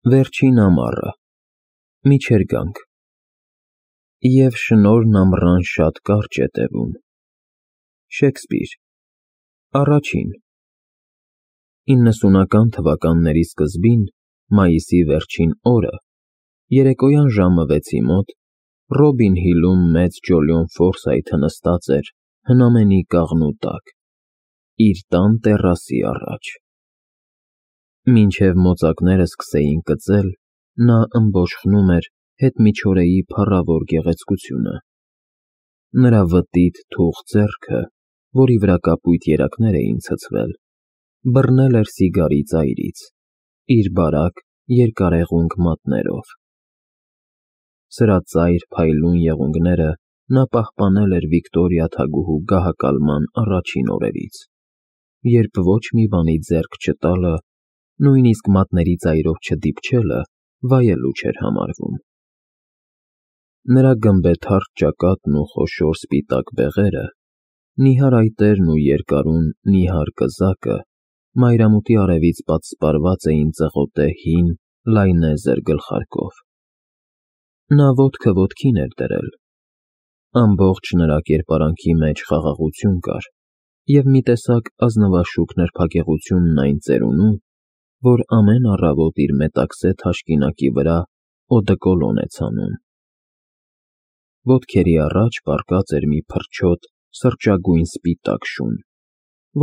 Վերջին ամառը, միջերգանք, և շնորհն ամռան շատ կարճ է տևում։ Շեքսպիր, առաջին 90-ական թվականների սկզբին, մայիսի վերջին օրը, երեկոյան ժամը 6-ի մոտ, Ռոբին Հիլում մեծ Ջոլիոն Ֆորսայթը նստած էր հնամենի կաղնու տակ, իր տան տեռասի առաջ։ Մինչև մոծակները սկսեին կծել, նա ըմբոշխնում էր հետմիջօրեի փառավոր գեղեցկությունը։ Նրա վտիտ թուխ ձեռքը, որի վրա կապույտ երակներ էին ցցվել, բռնել էր սիգարի ծայրից, իր բարակ, երկարեղունգ մատներով։ Սրա ծայր փայլուն եղունգները նա պահպանել էր Վիկտորիա թագուհու գահակալման առաջին օրերից, երբ ոչ մի բանի ձեռք չտալը, նույնիսկ մատների ծայրով չդիպչելը վայելուչ էր համարվում։ Նրա գմբեթարթ ճակատն ու խոշոր սպիտակ բեղերը, նիհար այտերն ու երկարուն, նիհար կզակը մայրամուտի արևից պատսպարված էին ծղոտե հին, լայնեզր գլխարկով։ Նա ոտքը ոտքին էր դրել։ Ամբողջ նրա կերպարանքի մեջ խաղաղություն կար և մի տեսակ ազնվաշուք նրբագեղությունն այն ծերունու, որ ամեն առավոտ իր մետաքսե թաշկինակի վրա օդեկոլոն է ցանում։ Ոտքերի առաջ պառկած էր մի փրչոտ սրճագույն սպիտակ շուն,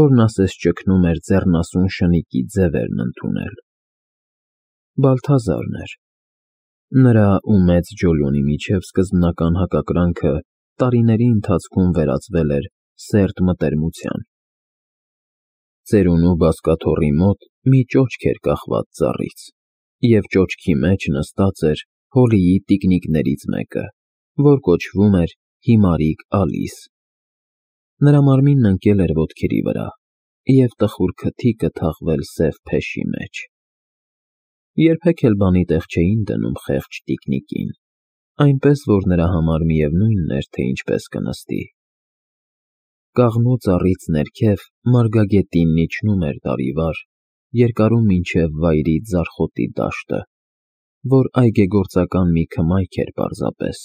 որն ասես ճգնում էր ձեռնասուն շնիկի ձևերն ընդունել։ Բալթազարն էր։ Նրա ու մեծ Ջոլիոնի միջև սկզբնական հակակրանքը տարիների ընթացքում վերածվել էր սերտ մտերմության։ Ծերունու բազկաթոռի մոտ մի ճոճք էր կախված ծառից, և ճոճքի մեջ նստած էր Հոլիի տիկնիկներից մեկը, որ կոչվում էր Հիմարիկ Ալիս։ Նրա մարմինն ընկել էր ոտքերի վրա, և տխուր քթիկը թաղվել սև փեշի մեջ։ Երբեք էլ բանի տեղ չէին դնում խեղճ տիկնիկին, այնպես որ նրա համար միևնույն էր, թե ինչպես կնստի։ Կաղնու ծառից ներքև մարգագետինն իջնում էր դարիվար, երկարում մինչև վայրի ձարխոտի դաշտը, որ այգեգործական մի քմայք էր պարզապես։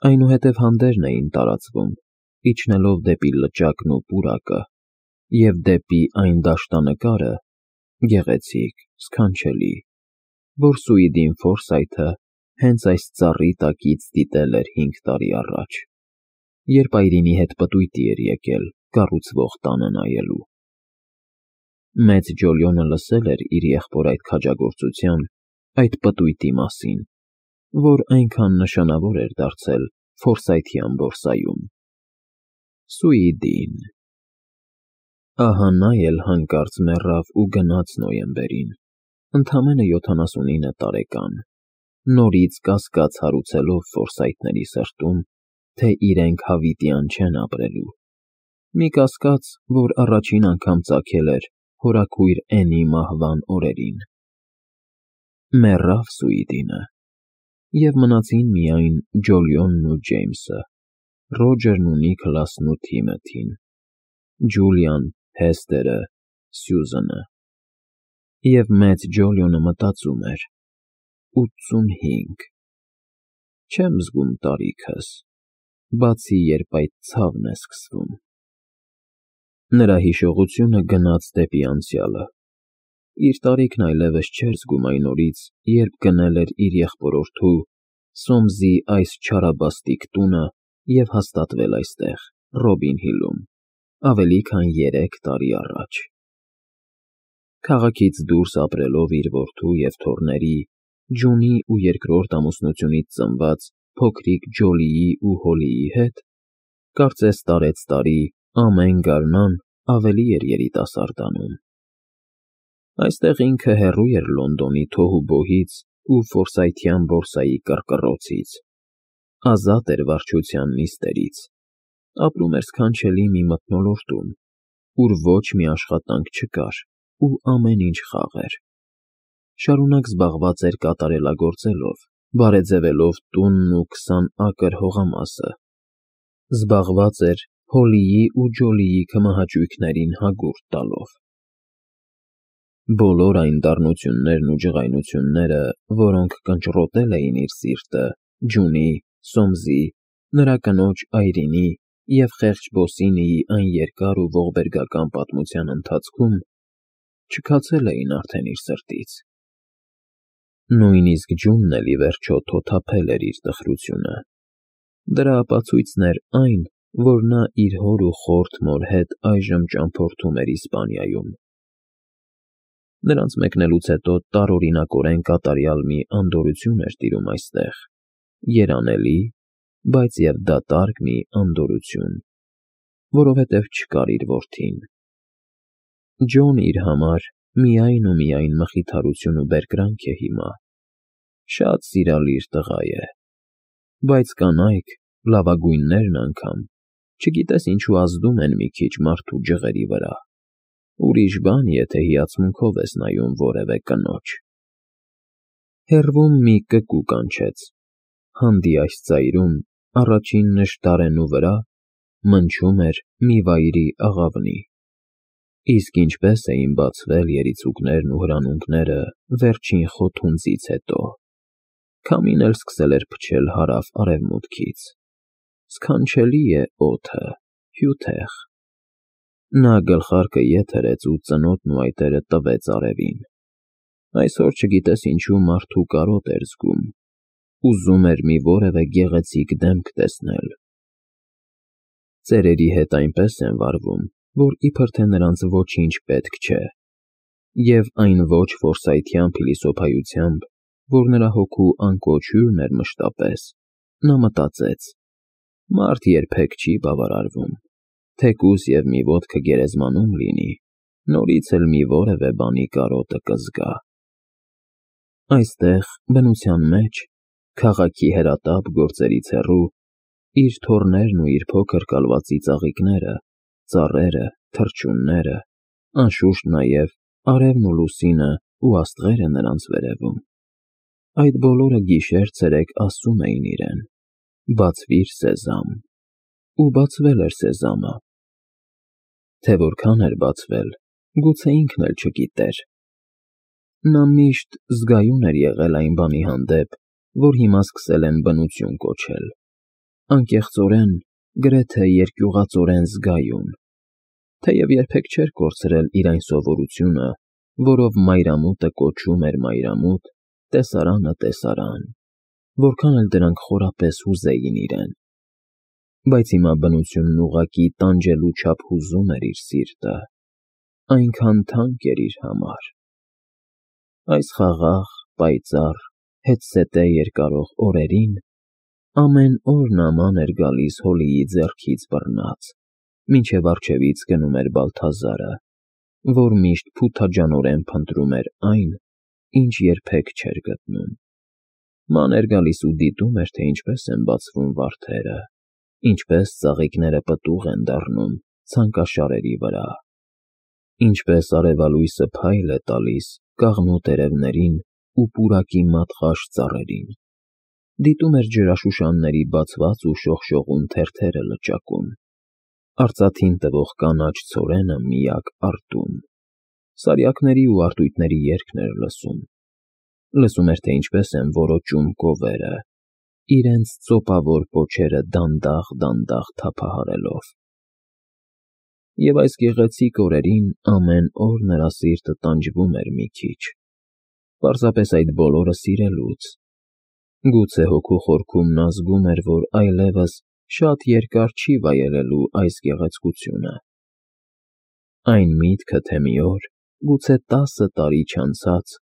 Այնուհետև հանդերն էին տարածվում, իջնելով դեպի լճակն ու պուրակը, և դեպի այն դաշտանկարը, գեղեցիկ, սքանչելի, որ Սուիդին Ֆորսայթը հենց այս ծառի տակից դիտել էր 5 տարի առաջ, երբ այրինի հետ պտույտի էր եկել կառուցվող տանը նայելու։ Մեծ Ջոլիոնը լսել էր իր եղբոր այդ քաջագործության, այդ պտույտի մասին, որ այնքան նշանավոր էր դարձել Ֆորսայթյան բորսայում։ Սուիդին… Ահա նա էլ հանկարծ մեռավ ու գնաց նոյեմբերին, ընդամենը 79 տարեկան, նորից կասկած հարուցելով Ֆորսայթների սրտում, թե իրենք հավիտյան չեն ապրելու, մի կասկած, որ առաջին անգամ ծագել էր հորաքույր Էնի մահվան օրերին։ Մեռավ Սուիդինը, և մնացին միայն Ջոլիոնն ու Ջեյմսը, Ռոջերն ու Նիքլասն ու Թիմոթին, Ջուլիան, Հեսթերը, Սյուզանը։ Եվ մեծ Ջոլիոնը մտածում էր. 85… Չեմ զգում տարիքս, բացի երբ այդ ցավն է սկսվում։ Նրա հիշողությունը գնաց դեպի անցյալը։ Իր տարիքն այլևս չէր զգում այն օրից, երբ գնել էր իր եղբորորդու՝ Սոմսի այս չարաբաստիկ տունը և հաստատվել այստեղ, Ռոբին Հիլում, ավելի քան 3 տարի առաջ։ Քաղաքից դուրս ապրելով իր որդու և թոռների, Ջունի ու երկրորդ ամուսնությունից ծնված փոքրիկ Ջոլիի ու Հոլիի հետ, կարծես տարեցտարի, ամեն գարնան ավելի էր երիտասարդանում։ Այստեղ ինքը հեռու էր Լոնդոնի թոհուբոհից ու ֆորսայթյան բորսայի կռկռոցից, ազատ էր վարչության նիստերից, ապրում էր սքանչելի մի մթնոլորտում, ուր ոչ մի աշխատանք չկար ու ամեն ինչ խաղ էր։ Շարունակ զբաղված էր կատարելագործելով, բարեձևելով տունն ու 20 ակր հողամասը, զբաղված էր Հոլիի ու Ջոլիի քմահաճույքներին հագուրդ տալով։ Բոլոր այն դառնություններն ու ջղայնությունները, որոնք կնճռոտել էին իր սիրտը Ջունի, Սոմզի, նրա կնոջ Այրինի և խեղճ Բոսինիի այն երկար ու ողբերգական պատմության ընթացքում, չքացել էին արդեն իր սրտից։ Նույնիսկ Ջունն էլ ի վերջո թոթափել էր իր տխրությունը։ Դրա ապացույցն էր այն, որ նա իր հոր ու խորթ մոր հետ այժմ ճամփորդում էր Իսպանիայում։ Նրանց մեկնելուց հետո տարօրինակորեն կատարյալ մի անդորրություն էր տիրում այստեղ, երանելի, բայց և դատարկ մի անդորրություն, որովհետև չկար իր որդին։ Ջոն իր համար միայն ու միայն մխիթարություն ու բերկրանք է հիմա։ Շատ սիրալիր տղա է, բայց կանայք, լավագույններն անգամ, չգիտես ինչու ազդում են մի քիչ մարդու ջղերի վրա։ Ուրիշ բան, եթե հիացմունքով ես նայում որևէ կնոջ։ Հեռվում մի կկու կանչեց, հանդիայս ծայրում, առաջին նշտարենու վրա մնչում էր մի վայրի աղավնի։ Իսկ ինչպես էին բացվել երիցուկներն ու հրանունքները վերջին խոթունձից հետո։ Քամին էլ սկսել էր փչել հարավ֊արևմուտքից։ Սքանչելի է օդը, հյութեղ։ Նա գլխարկը ետ հրեց ու ծնոտն ու այտերը տվեց արևին։ Այսօր չգիտես ինչու մարդու կարոտ էր զգում, ուզում էր մի որևէ գեղեցիկ դեմք տեսնել։ Ծերերի հետ այնպես են վարվում, որ իբր թե նրանց ոչինչ պետք չէ, և այն ոչ ֆորսայթյան փիլիսոփայությամբ, որ նրա հոգու անկոչ հյուրն էր մշտապես, նա մտածեց. մարդ երբեք չի բավարարվում, թեկուզ և մի ոտքը գերեզմանում լինի, նորից էլ մի որևէ բանի կարոտը կզգա։ Այստեղ, բնության մեջ, քաղաքի հրատապ գործերից հեռու, իր թոռներն ու իր փոքր կալվածի ծաղիկները, ծառերը, թռչունները, անշուշտ նաև արևն ու լուսինը ու աստղերը նրանց վերևում։ Այդ բոլորը գիշեր֊ցերեկ ասում էին իրեն. «Բացվիր, Սեզամ», ու բացվել էր Սեզամը։ Թե որքան էր բացվել, գուցե ինքն էլ չգիտեր։ Նա միշտ զգայուն էր եղել այն բանի հանդեպ, որ հիմա սկսել են բնություն կոչել, անկեղծորեն, գրեթե երկյուղածորեն զգայուն, թեև երբեք չէր կորցրել իր այն սովորությունը, որով մայրամուտը կոչում էր մայրամուտ, տեսարանը տեսարան, որքան էլ դրանք խորապես հուզեին իրեն։ Բայց հիմա բնությունն ուղղակի տանջելու չափ հուզում էր իր սիրտը, այնքան թանկ էր իր համար։ Այս խաղաղ, պայծառ, հետզհետե երկարող օրերին ամեն օր նման էր գալիս Հոլիի ձեռքից բռնած, մինչև առջևից գնում էր Բալթազարը, որ միշտ փութաջանորեն փնտրում էր այն, ինչ երբեք չէր գտնում։ Ման էր գալիս ու դիտում էր, թե ինչպես են բացվում վարդերը, ինչպես ծաղիկները պտուղ են դառնում ցանկաշարերի վրա, ինչպես արևալույսը փայլ է տալիս կաղնու տերևներին ու պուրակի մատղաշ ծառերին, դիտում էր ջրաշուշանների բացված ու շողշողուն թերթերը լճակում, արծաթին տվող կանաչ ցորենը միակ արտում, սարյակների ու արծույթների երգն էր լսում էր, թե ինչպես են որոճում կովերը, իրենց ծոպավոր պոչերը դանդաղ-դանդաղ թափահարելով։ Եվ այս գեղեցիկ օրերին ամեն օր նրա սիրտը տանջվում էր մի քիչ, պարզապես այդ բոլորը սիրելուց։ Գուցե հոգու խորքում նա զգում էր, որ այլևս շատ երկար չի վայելելու այս գեղեցկությունը։ Այն միտքը, թե մի օր, գուցե 10 տարի չանցած,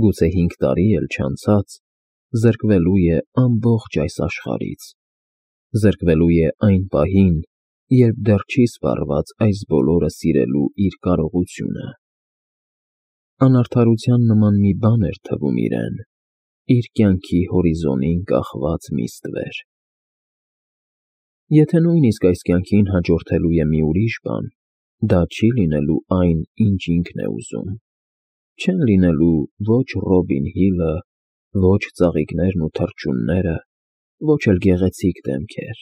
գուցե 5 տարի էլ չանցած, զրկվելու է ամբողջ այս աշխարհից, զրկվելու է այն պահին, երբ դեռ չի սպառված այս բոլորը սիրելու իր կարողությունը։ Անարդարության նման մի բան էր թվում իրեն, իր կյանքի հորիզոնին կախված մի ստվեր։ Եթե նույնիսկ այս կյանքին հաջորդելու է մի ուրիշ բան, դա չի լինելու այն, ինչ ինքն է ուզում։ Չեն լինելու ոչ Ռոբին Հիլը, ոչ ծաղիկներն ու թռչունները, ոչ էլ գեղեցիկ դեմքեր։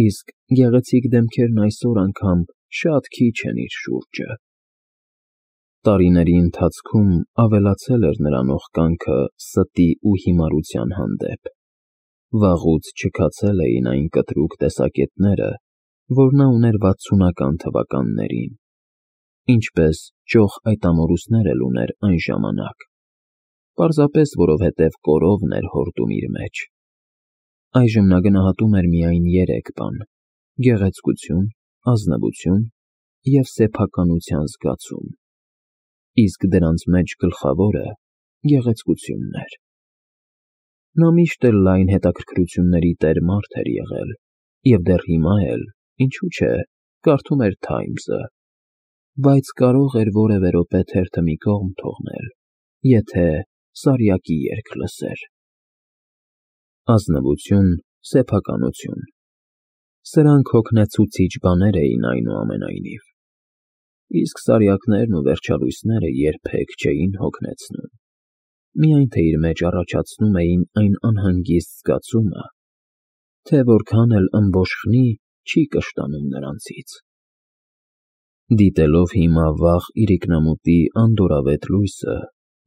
Իսկ գեղեցիկ դեմքերն այսօր անգամ շատ քիչ են իր շուրջը։ Տարիների ընթացքում ավելացել էր նրանով կանքը ստի ու հիմարության հանդեպ։ Վաղուց չքացել էին այն կտրուկ տեսակետները, որ նա ուներ 60-ական թվականներին, ինչպես ճոխ այդ ամորուսներ էլ ուներ այն ժամանակ, պարզապես որովհետև կորովն էր հորդում իր մեջ։ Այժմ նա գնահատում էր միայն 3 բան՝ գեղեցկություն, ազնվություն և սեփականության զգացում, իսկ դրանց մեջ գլխավորը գեղեցկությունն էր։ Նա միշտ էլ լայն հետաքրքրությունների տեր մարդ էր եղել և դեռ հիմա էլ, ինչու՞ չէ, կարդում էր Թայմզը, բայց կարող էր որևէ րոպե թերթը մի կողմ թողնել, եթե Սարյակի երգ լսեր։ Ազնվություն, սեփականություն. սրանք հոգնեցուցիչ բաներ էին այնուամենայնիվ, իսկ սարյակներն ու վերջալույսները երբեք չէին հոգնեցնում, միայն թե իր մեջ առաջացնում էին այն անհանգիստ զգացումը, թե որքան էլ ըմբոշխնի, չի կշտանում նրանցից։ Դիտելով հիմա վաղ իրիկնամուտի անդորրավետ լույսը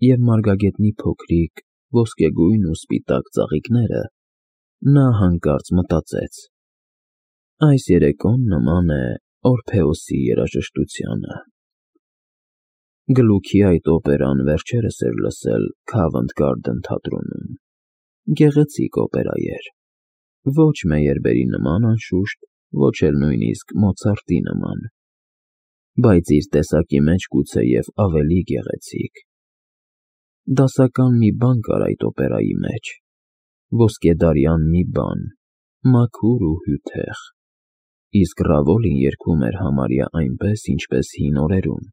և մարգագետնի փոքրիկ, ոսկեգույն ու սպիտակ ծաղիկները, նա հանկարծ մտածեց. այս երեկոն նման է Օրփեոսի երաժշտությանը։ Գլուքի այդ օպերան վերջերս էր լսել Քավընթ Գարդեն թատրոնում։ Գեղեցիկ օպերա էր, ոչ Մեյերբերի նման անշուշտ, ոչ էլ նույնիսկ Մոցարտի նման, բայց իր տեսակի մեջ գուցեև ավելի գեղեցիկ։ Դասական մի բան կար այդ օպերայի մեջ, ոսկեդարյան մի բան, մաքուր ու հյութեղ, իսկ Ռավոլին երգում էր համարյա այնպես, ինչպես հին օրերում։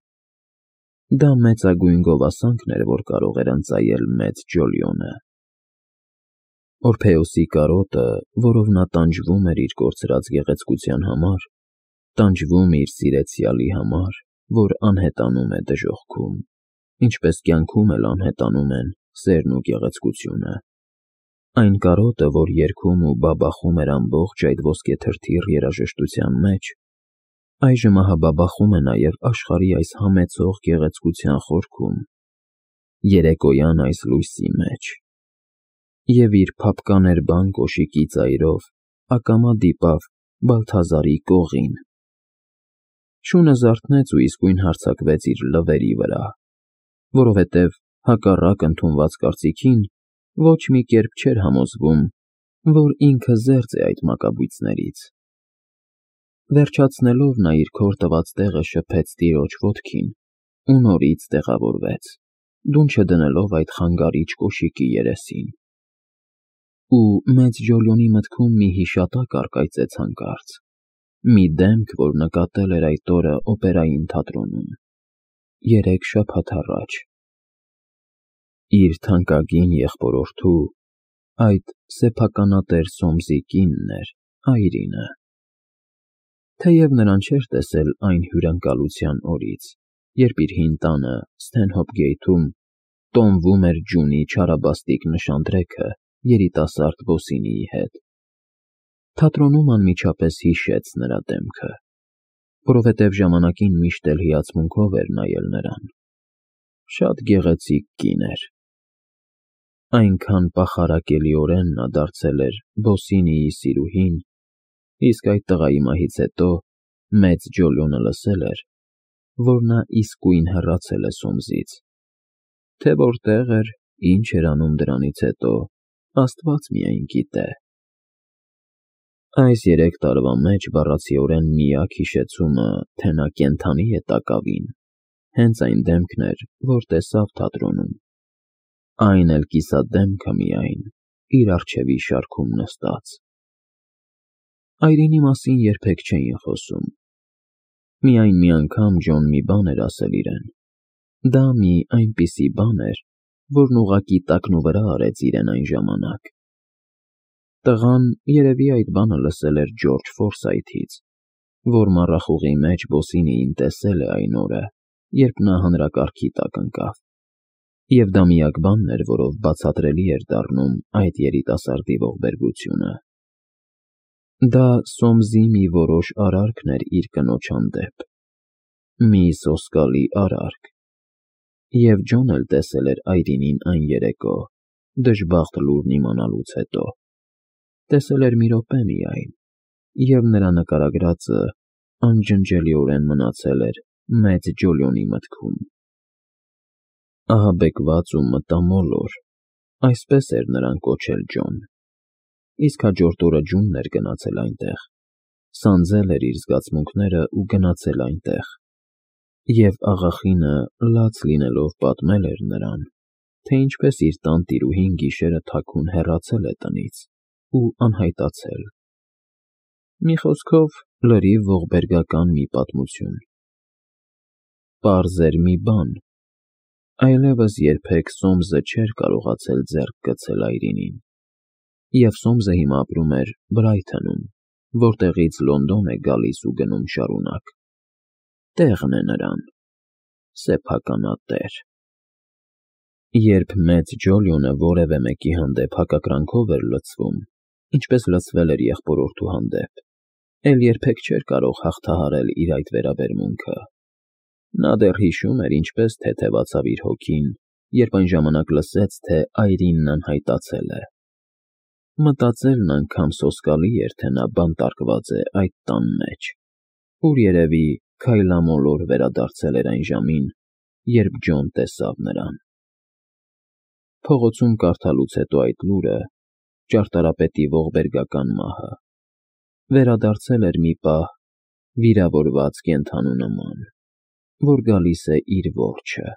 Դա մեծագույն գովասանքն էր, որ կարող էր ընծայել մեծ Ջոլիոնը։ Օրփեոսի կարոտը, որով նա տանջվում էր իր կորցրած գեղեցկության համար, տանջվում իր սիրեցյալի համար, որ անհետանում է դժոխքում, ինչպես կյանքում էլ անհետանում են սերն ու գեղեցկությունը։ Այն կարոտը, որ երգում ու բաբախում էր ամբողջ այդ ոսկեթրթիռ երաժշտության մեջ, այժմ ահաբաբախում է նաև աշխարհի այս համեցող գեղեցկության խորքում, երեկոյան այս լույսի մեջ, և իր փափկաներբան կոշիկի ծայրով ակամա դիպավ Բալթազարի կողին։ Շունը զարթնեց ու իսկույն հարձակվեց իր լվերի վրա, որովհետև հակառակ ընդունված կարծիքին, ոչ մի կերպ չէր համոզվում, որ ինքը զերծ է այդ մակաբույծներից։ Վերջացնելով նա իր քոր տված տեղը շփեց տիրոջ ոտքին ու նորից տեղավորվեց, դուն չդնելով այդ խանգարիչ կոշիկի երեսին։ Ու մեծ Ջոլիոնի մտքում մի հիշատակ առկայծեց հանկարծ, մի դեմք, որ նկատել էր այդ օրը օպերային թատրոնում, 3 շաբաթ առաջ։ Իր թանկագին եղբորորդու, այդ սեփականատեր Սոմսի կինն էր, Այրինը։ Թեև նրան չէր տեսել այն հյուրընկալության օրից, երբ իր հին տանը Սթենհոփ տոնվում էր Ջունի չարաբաստիկ նշանդրեքը երիտասարդ Բոսինիի հետ։ Թատրոնում անմիջապես հիշեց նրա դեմքը, որովհետև ժամանակին միշտ էլ հիացմունքով էր նայել նրան։ Շատ գեղեցիկ կին էր։ Այնքան պախարակելիորեն նա դարձել էր Բոսինիի սիրուհին, իսկ այդ տղայի մահից հետո մեծ Ջոլիոնը լսել էր, որ նա իսկույն հեռացել է Սոմսից, թե որտեղ էր, ինչ էր անում դրանից հետո, Աստված միայն գիտե։ Այս 3 տարվա մեջ բառացիորեն միակ հիշեցումը, թե նա կենդանի է տակավին, հենց այն դեմքն էր, որ տեսավ թատրոնում, այն էլ կիսադեմքը միայն, իր առջևի շարքում նստած։ Այրինի մասին երբեք չէին խոսում։ Միայն մի անգամ Ջոն մի բան էր ասել իրեն։ Դա մի այնպիսի բան էր, որն ուղղակի տակնուվրա արեց իրեն այն ժամանակ։ Տղան երևի այդ բանը լսել էր Ջորջ Ֆորսայթից, որ մառախուղի մեջ Բոսինիին տեսել է այն օրը, երբ նա հանրակարգի տակ ընկավ, և դա միակ բանն էր, որով բացատրելի էր դառնում այդ երիտասարդի ողբերգությունը։ Դա Սոմսի մի որոշ արարքն էր իր կնոջ հանդեպ, մի սոսկալի արարք, Եվ Ջոն էլ տեսել էր Այրինին այն երեկո, դժբախտ լուրն իմանալուց հետո։ Տեսել էր մի րոպե միայն, և նրա նկարագրածը անջնջելիորեն մնացել էր մեծ Ջոլիոնի մտքում։ Ահաբեկված ու մտամոլոր, այսպես էր նրան կոչել Ջոն։ Իսկ հաջորդ օրը Ջունն էր գնացել այնտեղ, սանձել էր իր զգացմունքները ու գնացել այնտեղ, և աղախինը լաց լինելով պատմել էր նրան, թե ինչպես իր տան տիրուհին գիշերը թաքուն հեռացել է տնից ու անհայտացել։ Մի խոսքով, լրիվ ողբերգական մի պատմություն։ Պարզ էր մի բան. այլևս երբեք Սոմսը չէր կարողացել ձեռք գցել Այրինին, և Սոմսը հիմա ապրում էր Բրայթոնում, որտեղից Լոնդոն է գալիս ու գնում շարունակ։ Տեղն է նրան, սեփականատեր։ Երբ մեծ Ջոլիոնը որևէ մեկի հանդեպ հակակրանքով էր լցվում, ինչպես լցվել էր եղբորորդու հանդեպ, էլ երբեք չէր կարող հաղթահարել իր այդ վերաբերմունքը։ Նա դեռ հիշում էր, ինչպես թեթևացավ իր հոգին, երբ այն ժամանակ լսեց, թե Այրինն անհայտացել է։ Մտածելն անգամ սոսկալի էր, թե նա բանտարկված է այդ տան մեջ, ուր երևի քայլամոլոր վերադարձել էր այն ժամին, երբ Ջոն տեսավ նրան։ Փողոցում կարդալուց հետո այդ լուրը, ճարտարապետի ողբերգական մահը, վերադարձել էր մի պահ վիրավորված կենդանու նման, որ գալիս է իր որջը։